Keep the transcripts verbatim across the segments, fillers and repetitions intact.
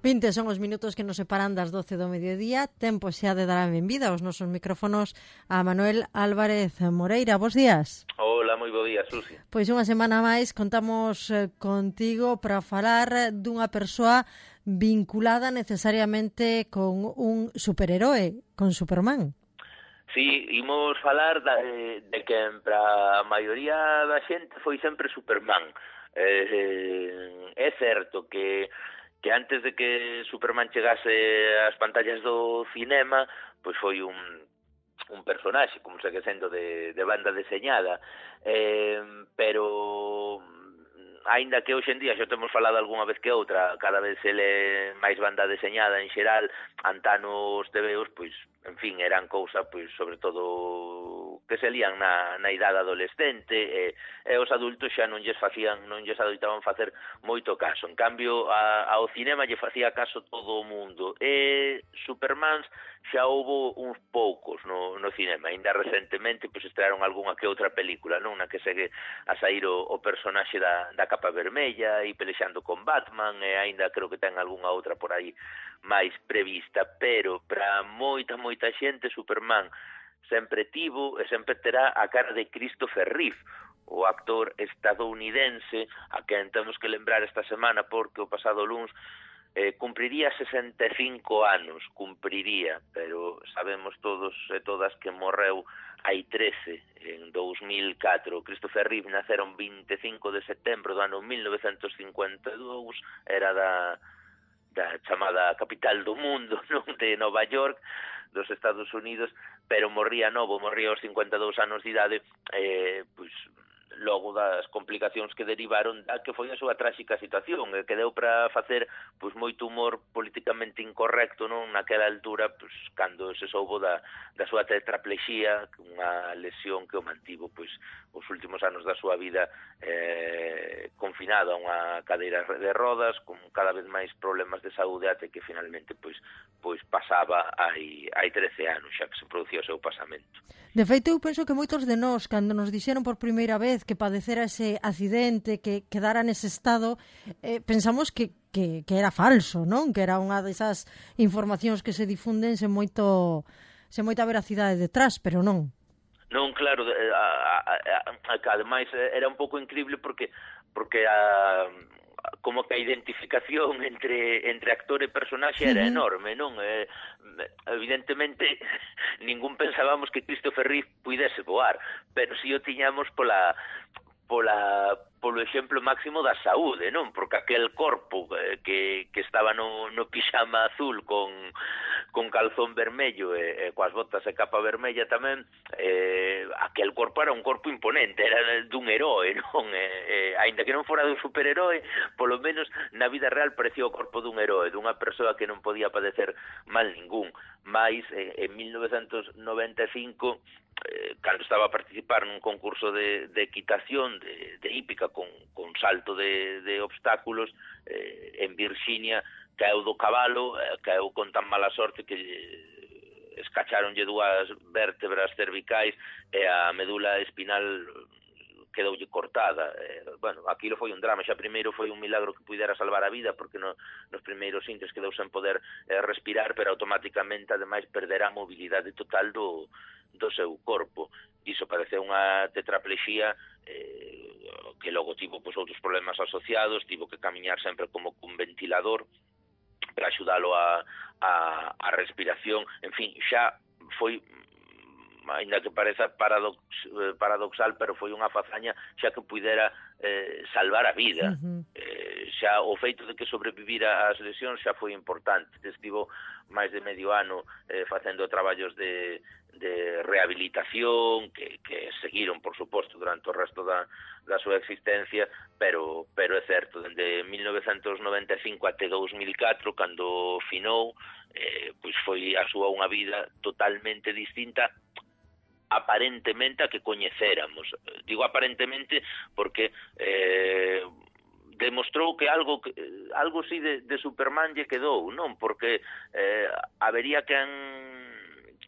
vinte son os minutos que nos separan das doce do mediodía. Tempo xa de dar a benvida aos nosos micrófonos a Manuel Álvarez Moreira. Bos días. Hola, moi bo día, Susi. Pois unha semana máis contamos eh, contigo para falar dunha persoa vinculada necesariamente con un superheroe, con Superman. Sí, imos falar da, de, de que para a maioría da xente foi sempre Superman. Eh, é certo que que antes de que Superman chegase ás pantallas do cinema, pois foi un un personaxe, como segue sendo de, de banda deseñada, eh, pero aínda que hoxe en día xa temos falado algunha vez que outra, cada vez ele máis banda deseñada en xeral, antanos tebeos, pois, en fin, eran cousa, pois, sobre todo que se lían na, na idade adolescente, e, e os adultos xa non lles facían, non lles adoitaban facer moito caso. En cambio, a, ao cinema lle facía caso todo o mundo, e Supermans xa houbo uns poucos no, no cinema, ainda recentemente pois estrearon algunha que outra película, non, na que segue a sair o, o personaxe da, da capa vermella e pelexando con Batman, e aínda creo que ten algunha outra por aí máis prevista, pero para moita, moita xente Superman sempre tivo e sempre terá a cara de Christopher Reeve, o actor estadounidense a quen temos que lembrar esta semana porque o pasado luns eh, cumpriría sesenta e cinco anos, cumpriría, pero sabemos todos e todas que morreu hai trece, en dous mil catro. Christopher Reeve naceron vinte e cinco de setembro do ano mil novecentos cincuenta e dous, era da, da chamada capital do mundo, non, de Nova York, dos Estados Unidos, pero morría novo, morría aos cincuenta e dous anos de idade, eh, pois logo das complicacións que derivaron da que foi a súa tráxica situación, e que deu para facer pois moito humor políticamente incorrecto, non, naquela altura, pois cando se soubo da, da súa tetraplexía, unha lesión que o mantivo pois os últimos anos da súa vida eh, confinado a unha cadeira de rodas, con cada vez máis problemas de saúde, até que finalmente pois pois pasaba hai, hai trece anos xa que se producía o seu pasamento. De feito, eu penso que moitos de nós, cando nos dixeron por primeira vez que padecera ese accidente, que quedara nese estado, eh, pensamos que, que, que era falso, non? Que era unha desas informacións que se difunden sen moito sen moita veracidade detrás, pero non. Non, claro, a, a, a, a, ademais era un pouco increíble porque porque a como que a identificación entre entre actor e personaxe era enorme, non? Eh, evidentemente ningún pensábamos que Christopher Reeve puidese voar, pero si o tiñamos pola pola polo exemplo máximo da saúde, non? Porque aquel corpo eh, que, que estaba no, no pixama azul con, con calzón vermello e, e coas botas e capa vermella tamén, eh, aquel corpo era un corpo imponente, era dun heroe, non? Eh, eh, ainda que non fora dun superheroe, polo menos na vida real parecía o corpo dun heroe, dunha persoa que non podía padecer mal ningún. Mais, eh, en mil novecentos noventa e cinco, eh, cando estaba a participar nun concurso de, de equitación, de, de hípica, con, con salto de, de obstáculos, eh, en Virxinia, caeu do cabalo, eh, caeu con tan mala sorte que escacharonlle dúas vértebras cervicais e a medula espinal quedoulle cortada. Eh, bueno, aquilo foi un drama, xa primeiro foi un milagro que pudera salvar a vida, porque no, nos primeiros intres quedou sen poder eh, respirar, pero automáticamente, ademais, perderá a mobilidade total do, do seu corpo. Iso parece unha tetraplexía eh, que logo tivo pois, outros problemas asociados, tivo que camiñar sempre como cun ventilador para axudalo a, a, a respiración. En fin, xa foi, ainda que pareza paradox, paradoxal, pero foi unha fazaña xa que pudera eh, salvar a vida. Uh-huh. Eh, xa o feito de que sobrevivira ás lesións xa foi importante. Estivo máis de medio ano eh, facendo traballos de, de rehabilitación que, que seguiron, por suposto, durante o resto da, da súa existencia, pero, pero é certo, dende mil novecentos noventa e cinco até dous mil catro, cando finou, eh, pois foi a súa unha vida totalmente distinta, aparentemente a que coñecéramos. Digo aparentemente porque eh, demostrou que algo algo si de, de Superman lle quedou, non? Porque eh, habería quen,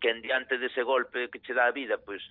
quen diante dese golpe que che dá a vida, pois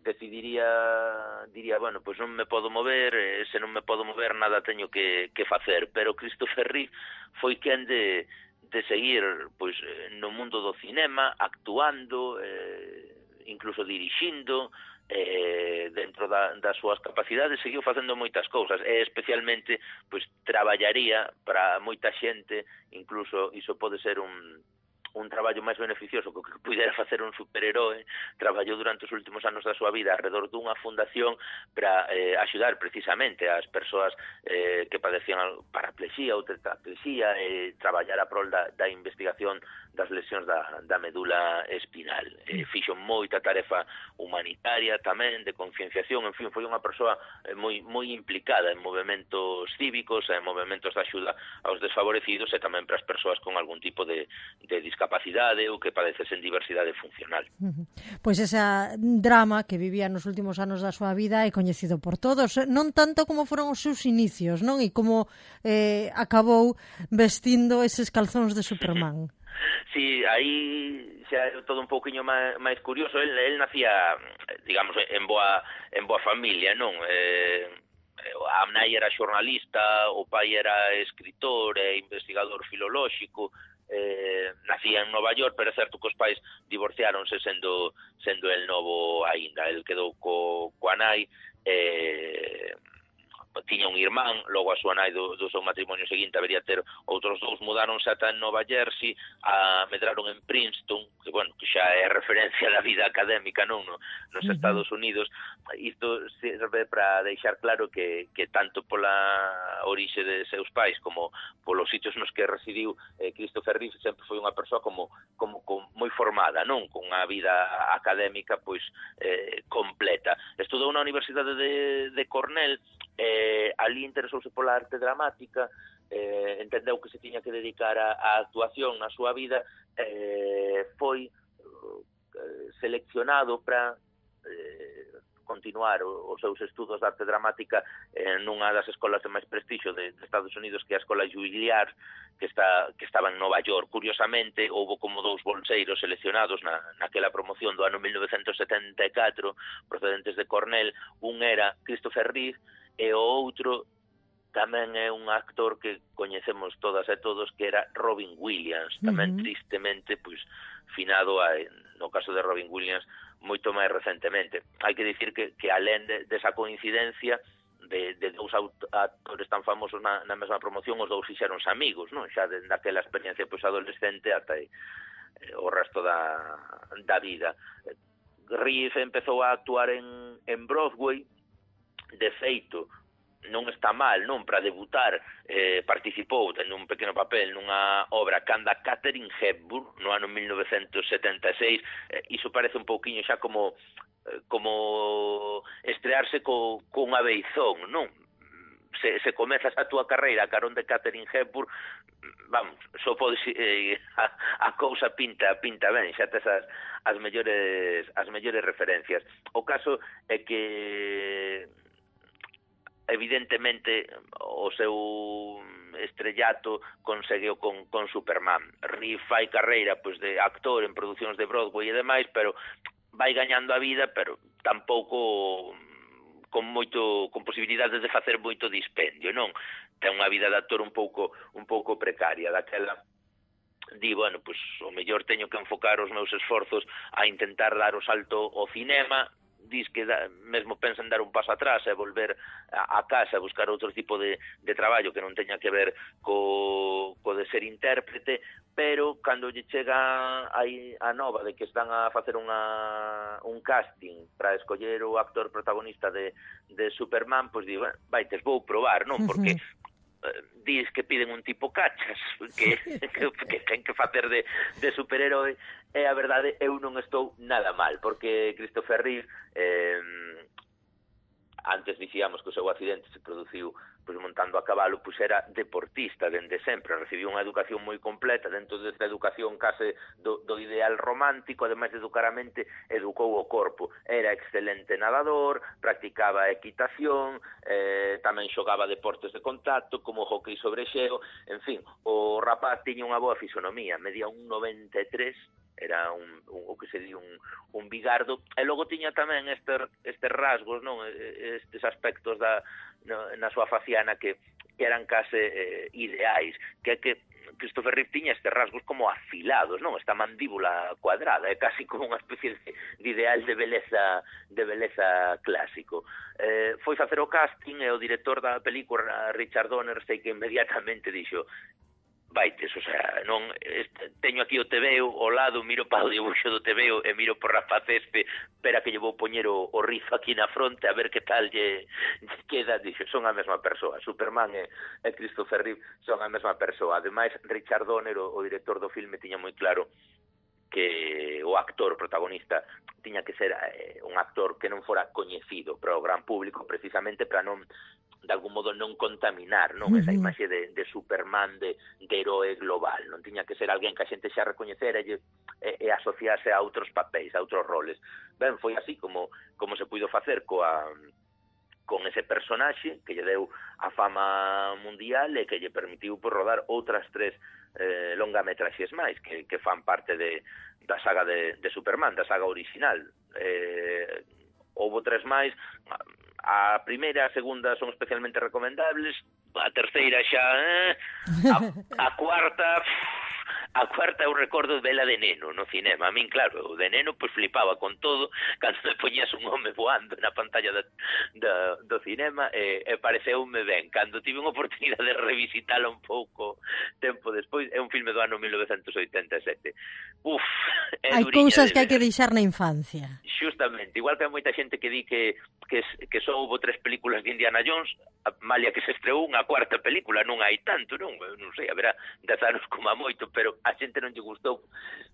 decidiría, diría, bueno, pois non me podo mover, e se non me podo mover nada teño que, que facer, pero Christopher Reeve foi quen de, de seguir pois no mundo do cinema, actuando, eh, incluso dirixindo, eh, dentro da, das súas capacidades, seguiu facendo moitas cousas, e especialmente pois traballaría para moita xente, incluso iso pode ser un un traballo máis beneficioso que o que pudera facer un superheroe. Traballou durante os últimos anos da súa vida alrededor dunha fundación para eh, axudar precisamente as persoas eh, que padecían paraplexía ou tetraplexía, e eh, traballar a prol da, da investigación das lesións da, da medula espinal. Eh, fixo moita tarefa humanitaria tamén, de concienciación, en fin, foi unha persoa eh, moi, moi implicada en movimentos cívicos, en movimentos de axuda aos desfavorecidos, e tamén para as persoas con algún tipo de, de discapacidade ou que padecesen diversidade funcional. Uh-huh. Pois esa drama que vivía nos últimos anos da súa vida é coñecido por todos, non tanto como foron os seus inicios, non? E como eh, acabou vestindo eses calzóns de Superman. Sí, aí xa é todo un pouquiño máis, máis curioso. El, el nacía, digamos, en boa, en boa familia, non? Eh, a nai era xornalista, o pai era escritor e investigador filolóxico, eh, nacía en Nova York, pero é certo que os pais divorciáronse sendo sendo el novo aínda. El quedou co, coa nai, eh, tiña un irmán, logo a súa nai do, do seu matrimonio seguinte habería ter outros dous, mudaronse ata en Nova Jersey, a medraron en Princeton, que, bueno, que xa é referencia da vida académica, non, no, nos uh-huh. Estados Unidos. Isto serve para deixar claro que, que tanto pola orixe de seus pais como polos sitios nos que residiu, eh, Christopher Reeve sempre foi unha persoa como, como, como moi formada, non, con unha vida académica pois eh, completa. Estudou na Universidade de, de Cornell, eh, ali interesouse pola arte dramática, eh, entendeu que se tiña que dedicar a, a actuación na súa vida, eh, foi eh, seleccionado para eh, continuar os seus estudos de arte dramática en unha das escolas de máis prestixio de, de Estados Unidos, que é a Escola Juilliard, que está que estaba en Nova York. Curiosamente, houve como dous bolseiros seleccionados na, naquela promoción do ano mil novecentos setenta e catro, procedentes de Cornell. Un era Christopher Reeve, e o outro tamén é un actor que coñecemos todas e todos, que era Robin Williams, tamén uh-huh. tristemente, pois, finado a, no caso de Robin Williams, moito máis recentemente. Hai que dicir que, que alén de, desa coincidencia de, de dous actores tan famosos na, na mesma promoción, os dous fixeronse amigos, non? Xa desde aquela experiencia pois adolescente ata eh, o resto da, da vida. Reeve empezou a actuar en, en Broadway. De feito, non está mal, non? Para debutar, eh, participou tendo un pequeno papel nunha obra canda Katharine Hepburn no ano mil novecentos setenta e seis. Eh, iso parece un pouquiño xa como eh, como estrearse co, con unha beizón, non? Se, se comezas a túa carreira a carón de Katharine Hepburn, vamos, só podes eh, a, a cousa pinta pinta ben, xa tes as, as mellores as mellores referencias. O caso é que evidentemente o seu estrellato conseguiu con, con Superman. Reeve fai carreira pois de actor en producións de Broadway e demais, pero vai gañando a vida, pero tampouco con moito con posibilidades de facer moito dispendio, non? Ten unha vida de actor un pouco un pouco precaria, daquela di, bueno, pois o mellor teño que enfocar os meus esforzos a intentar dar o salto ao cinema. Dis que da, mesmo pensa en dar un paso atrás e volver a, a casa e buscar outro tipo de, de traballo que non teña que ver co, co de ser intérprete, pero cando lle chega aí a nova de que están a facer unha, un casting para escoller o actor protagonista de, de Superman, pois digo, bueno, vaites, vou probar, non? Porque dis que piden un tipo cachas que, que, que ten que facer de, de superheroe, e a verdade eu non estou nada mal, porque Christopher Reeve eh, antes dicíamos que o seu accidente se produciu pois montando a cabalo, pois era deportista dende sempre, recibiu unha educación moi completa, dentro desta educación case do, do ideal romántico, ademais de educar a mente, educou o corpo. Era excelente nadador, practicaba equitación, eh, tamén xogaba deportes de contacto, como hockey sobre xeo, en fin, o rapaz tiña unha boa fisonomía, medía un noventa e tres, era un, un, o que se di un, un bigardo, e logo tiña tamén este, estes rasgos, non, estes aspectos da, no, na súa faciana que, que eran case eh, ideais, que é que Christopher Reeve tiña estes rasgos como afilados, non? Esta mandíbula cuadrada, é casi como unha especie de, de ideal de beleza de beleza clásico. Eh, foi facer o casting e o director da película, Richard Donner, sei que inmediatamente dixo: vaites, o sea, non este, teño aquí o tebeo ao lado, miro para o dibuixo do tebeo e miro por Rafa Cespe, espera que lle vou poñer o, o rizo aquí na fronte a ver que tal lle, lle queda. Dixo, son a mesma persoa, Superman e, e Christopher Reeve son a mesma persoa. Ademais, Richard Donner, o, o director do filme, tiña moi claro que o actor protagonista tiña que ser eh, un actor que non fora coñecido para o gran público, precisamente para non, de algún modo, non contaminar, non, esa imaxe de, de Superman, de, de heroe global. Non tiña que ser alguén que a xente xa recoñecera e, e, e asociase a outros papéis, a outros roles. Ben, foi así como, como se puido facer coa con ese personaxe que lle deu a fama mundial e que lle permitiu por rodar outras tres eh, longametraxes máis que, que fan parte de, da saga de, de Superman, da saga original. Eh, houbo tres máis, a primeira e a segunda son especialmente recomendables, a terceira xa, eh, a, a cuarta... A cuarta eu recordo vela de neno no cinema. A min, claro, o de neno pois flipaba con todo cando me poñías un home voando na pantalla da, da, do cinema e, e pareceume ben. Cando tive unha oportunidade de revisitala un pouco tempo despois, é un filme do ano mil novecentos oitenta e sete. Uf, é hai cousas de que hai que deixar na infancia. Justamente, igual que hai moita xente que di que, que, que só houve tres películas de Indiana Jones, a malia que se estreou unha cuarta película, non hai tanto, non? Non sei, haberá dez anos como a moito, pero a xente non lle gustou.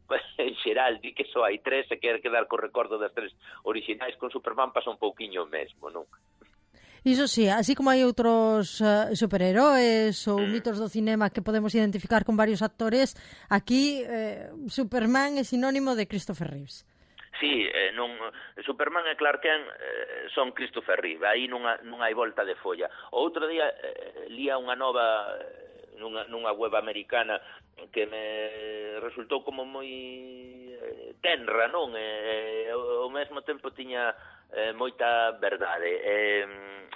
Pues, en xeral, di que só hai tres e quer quedar co recordo das tres originais. Con Superman pasa un pouquiño mesmo, non? Iso sí, así como hai outros uh, superheróis ou mm. mitos do cinema que podemos identificar con varios actores, aquí eh, Superman é sinónimo de Christopher Reeves. Sí, eh, non, Superman e Clark Kent eh, son Christopher Reeve, aí non, non hai volta de folla. O outro día eh, lía unha nova nunha, nunha web americana que me resultou como moi eh, tenra, non? E ao mesmo tempo tiña eh, moita verdade. E,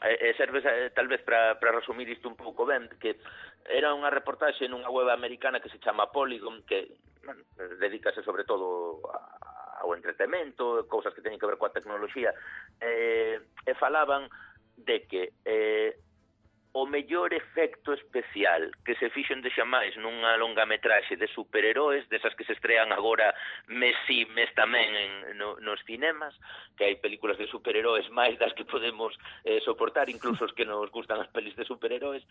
e serve eh, tal vez para resumir isto un pouco ben, que era unha reportaxe nunha web americana que se chama Polygon, que bueno, dedícase sobre todo a, ao entretemento, cousas que teñen que ver coa tecnoloxía, e, e falaban de que eh, o mellor efecto especial que se fixo en dexa máis nunha longametraxe de superheróis, desas que se estrean agora mes si, mes tamén en, no, nos cinemas, que hai películas de superheróis máis das que podemos eh, soportar, incluso os que nos gustan as pelis de superheróis,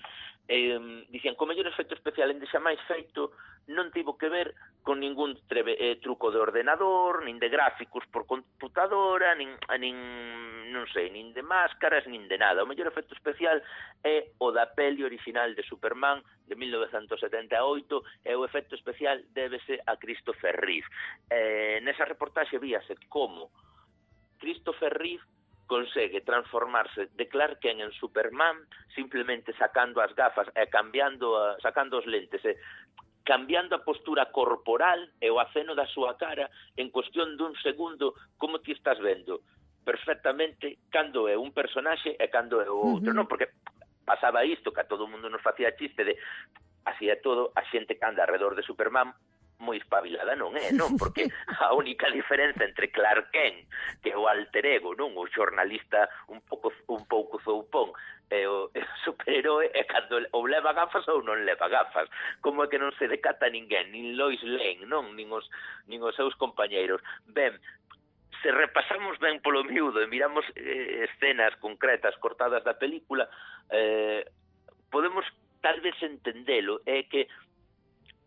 eh, dicían que o mellor efecto especial en dexa máis feito non tivo que ver con ningún treve, eh, truco de ordenador, nin de gráficos por computadora, nin, nin non sei, nin de máscaras, nin de nada. O mellor efecto especial é o da peli original de Superman de mil novecentos setenta e oito, e o efecto especial débese a Christopher Reeve. Eh, nesa reportaxe víase como Christopher Reeve consegue transformarse de Clark Kent en Superman simplemente sacando as gafas e cambiando a, sacando os lentes e cambiando a postura corporal e o aceno da súa cara en cuestión dun segundo, como ti estás vendo perfectamente cando é un personaxe e cando é o outro, uh-huh. non? Porque pasaba isto, que a todo o mundo nos facía chiste de así é todo, a xente que anda alrededor de Superman moi espabilada non é, non? Porque a única diferenza entre Clark Kent, que é o alter ego, non? O xornalista un pouco un pouco zoupón, e o, e o superhéroe é cando ou leva gafas ou non leva gafas. Como é que non se decata ninguén, nin Lois Lane, non? Nin os, nin os seus compañeiros. Ben, se repasamos ben polo miúdo e miramos eh, escenas concretas cortadas da película, eh, podemos tal vez entendelo, é que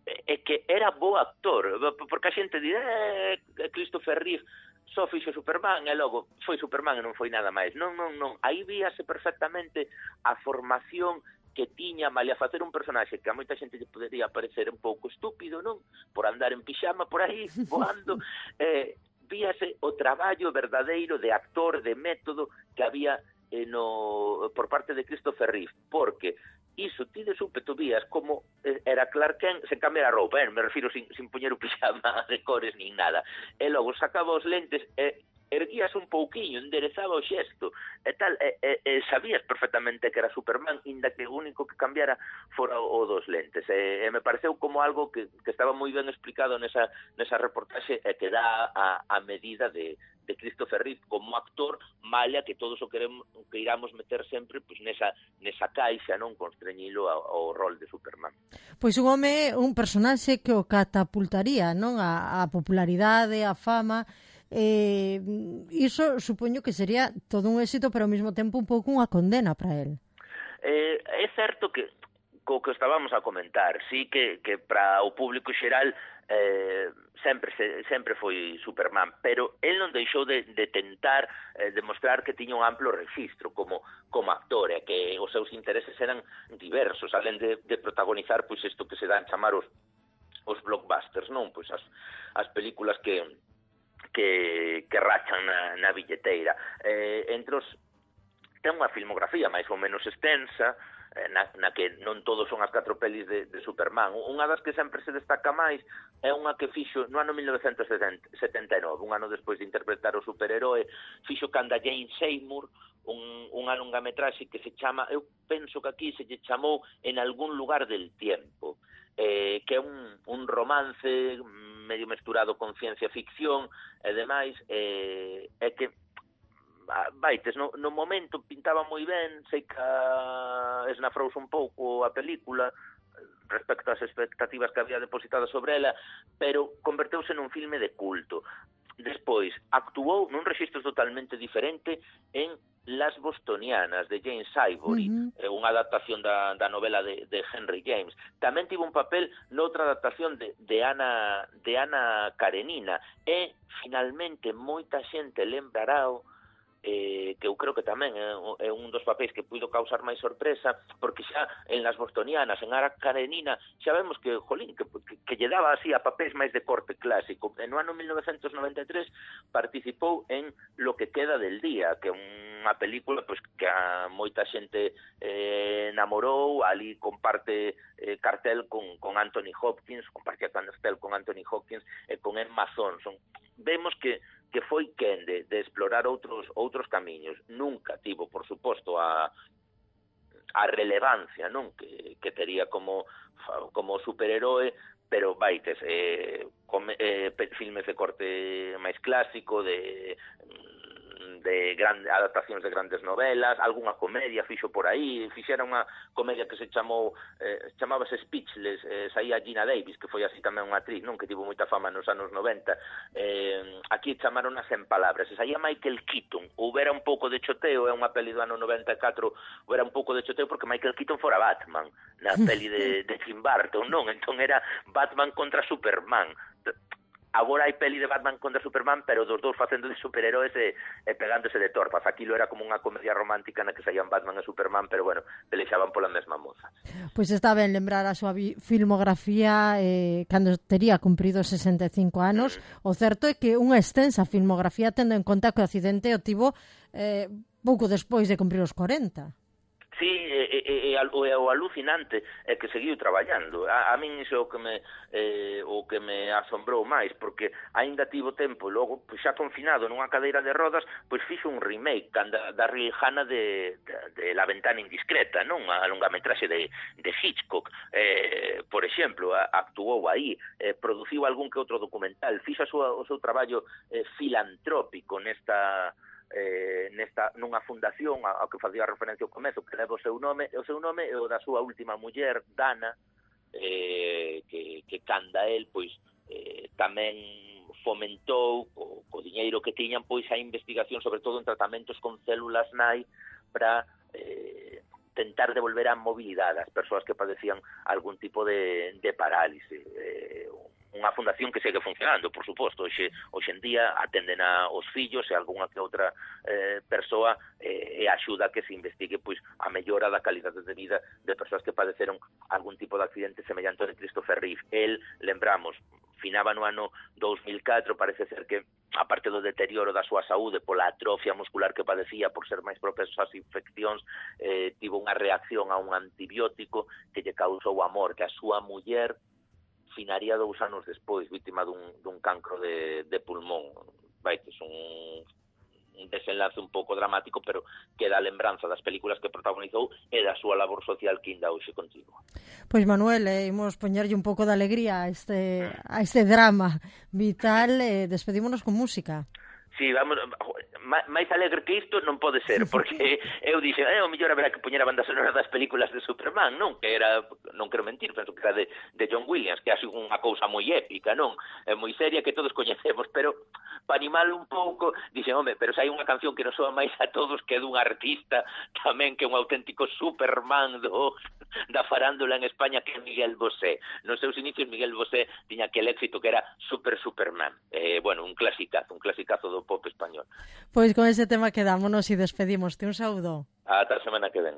é que era bo actor, porque a xente di, eh, Christopher Reeve só fixo Superman e logo foi Superman e non foi nada máis. Non, non, non, aí víase perfectamente a formación que tiña malia facer un personaxe que a moita xente lle podería parecer un pouco estúpido, non? Por andar en pixama por aí, voando, eh, víase o traballo verdadeiro de actor, de método que había eh, no, por parte de Christopher Reeve, porque iso ti de súpeto vías como era Clark Kent se cambiar a roupa, eh? Me refiro sin, sin poñer o pixama de cores nin nada, e logo sacaba os lentes e erguías un pouquiño, enderezaba o xesto e tal, e, e, e sabías perfectamente que era Superman, inda que o único que cambiara fora o, o dos lentes, e, e me pareceu como algo que, que estaba moi ben explicado nesa, nesa reportaxe e que dá a, a medida de, de Christopher Reeve como actor, malla que todos o queremos, que iramos meter sempre pues, nesa, nesa caixa, non constreñilo ao, ao rol de Superman. Pois un home, un personaxe que o catapultaría, non, a, a popularidade, a fama. Eh, iso supoño que sería todo un éxito, pero ao mesmo tempo un pouco unha condena para el. Eh, é certo que co que estábamos a comentar, sí que, que para o público xeral eh, sempre se, sempre foi Superman, pero el non deixou de, de tentar eh, demostrar que tiña un amplo registro como, como actor, e que os seus intereses eran diversos, alén de, de protagonizar pois isto que se dan chamar os, os blockbusters, non? Pois as, as películas que que, que rachan na, na billeteira. Eh, entre os ten unha filmografía máis ou menos extensa, eh, na, na que non todos son as catro pelis de, de Superman. Unha das que sempre se destaca máis é unha que fixo no ano mil novecentos setenta e nove, un ano despois de interpretar o superheroe, fixo canda Jane Seymour, un, unha longametraxe que se chama, eu penso que aquí se lle chamou En algún lugar del tiempo, eh, que é un, un romance medio mesturado con ciencia ficción e demais, eh, é que vaites, no, no momento pintaba moi ben, sei que esnafrouse un pouco a película respecto ás expectativas que había depositado sobre ela, pero converteuse nun filme de culto. Despois, actuou nun rexistro totalmente diferente en Las Bostonianas, de James Ivory, uh -huh. unha adaptación da, da novela de, de Henry James. Tamén tivo un papel noutra adaptación de, de, Ana, de Ana Karenina, e, finalmente, moita xente lembrará eh, que eu creo que tamén é, é un dos papéis que puido causar máis sorpresa, porque xa en Las Bostonianas, en Ana Karenina, xa vemos que, jolín, que, que, que lle daba así a papéis máis de corte clásico. En no ano mil novecentos noventa e tres participou en Lo que queda del día, que é unha película pues, que a moita xente eh, enamorou, ali comparte eh, cartel con, con Anthony Hopkins, compartía cartel con Anthony Hopkins e con Emma Thompson. Vemos que que foi quen de, de explorar outros outros camiños. Nunca tivo, por suposto, a a relevancia, non, que, que tería como como superheroe, pero vaites, eh, come, eh, filmes de corte máis clásico, de de grandes adaptacións de grandes novelas, algunha comedia fixo por aí, fixera unha comedia que se chamou, eh, chamábase Speechless, eh, saía Gina Davis, que foi así tamén unha actriz, non, que tivo moita fama nos anos noventa, eh, aquí chamaron as En palabras, e saía Michael Keaton, houbera un pouco de choteo, é unha peli do ano noventa e catro, houbera un pouco de choteo porque Michael Keaton fora Batman, na peli de, de Tim Burton, non, entón era Batman contra Superman. Agora hai peli de Batman contra Superman, pero dos dous facendo de superheróis e, e pegándose de torpas. Aquilo era como unha comedia romántica na que saían Batman e Superman, pero bueno, pelexaban pola mesma moza. Pois está ben lembrar a súa filmografía eh, cando tería cumprido sesenta e cinco anos. Mm. O certo é que unha extensa filmografía, tendo en conta que o accidente o tivo eh, pouco despois de cumprir os corenta. Sí, e, e, e, o, o alucinante é que seguiu traballando. A, a min iso é o que me eh, o que me asombrou máis, porque aínda tivo tempo, logo pois, xa confinado nunha cadeira de rodas, pois fixo un remake da, da Rihanna de, de, de La ventana indiscreta, non? A longametraxe de, de Hitchcock, eh, por exemplo, a, actuou aí, eh, produciu algún que outro documental, fixo a súa, o seu traballo eh, filantrópico nesta Eh, nesta nunha fundación ao que facía referencia ao comezo, que leva o seu nome, o seu nome é o da súa última muller, Dana, eh, que, que canda el, pois, eh, tamén fomentou co, co diñeiro que tiñan, pois, a investigación, sobre todo en tratamentos con células nai, para eh, tentar devolver a mobilidade ás persoas que padecían algún tipo de, de parálise. Eh, unha fundación que segue funcionando, por suposto, hoxe, hoxe en día atenden a os fillos e algunha que outra eh, persoa eh, e axuda a que se investigue pois a mellora da calidade de vida de persoas que padeceron algún tipo de accidente semellante ao de Christopher Reeve. El, lembramos, finaba no ano dous mil catro, parece ser que aparte do deterioro da súa saúde pola atrofia muscular que padecía por ser máis propenso ás infeccións, eh, tivo unha reacción a un antibiótico que lle causou a morte. A súa muller finaría dous anos despois, vítima dun, dun cancro de, de pulmón. Vai, que é un, un desenlace un pouco dramático, pero queda a lembranza das películas que protagonizou e da súa labor social que ainda hoxe continua. Pois Manuel, eh, imos poñerlle un pouco de alegría a este, a este drama vital, e eh, despedímonos con música. Sí, vamos, máis alegre que isto non pode ser, porque eu dixen, eh, o mellor haberá que poñer a banda sonora das películas de Superman, non? Que era, non quero mentir, penso que era de, de John Williams, que é unha cousa moi épica, non? É moi seria que todos coñecemos, pero para animar un pouco, dixen, home, pero se hai unha canción que nos soa máis a todos que é dun artista tamén que é un auténtico Superman do, da farándula en España, que é Miguel Bosé. Nos seus inicios Miguel Bosé tiña aquel éxito que era Super Superman. Eh, bueno, un clasicazo, un clasicazo do pop español. Pois con ese tema quedámonos e despedimos. Un saúdo. Ata a semana que ven.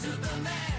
Superman.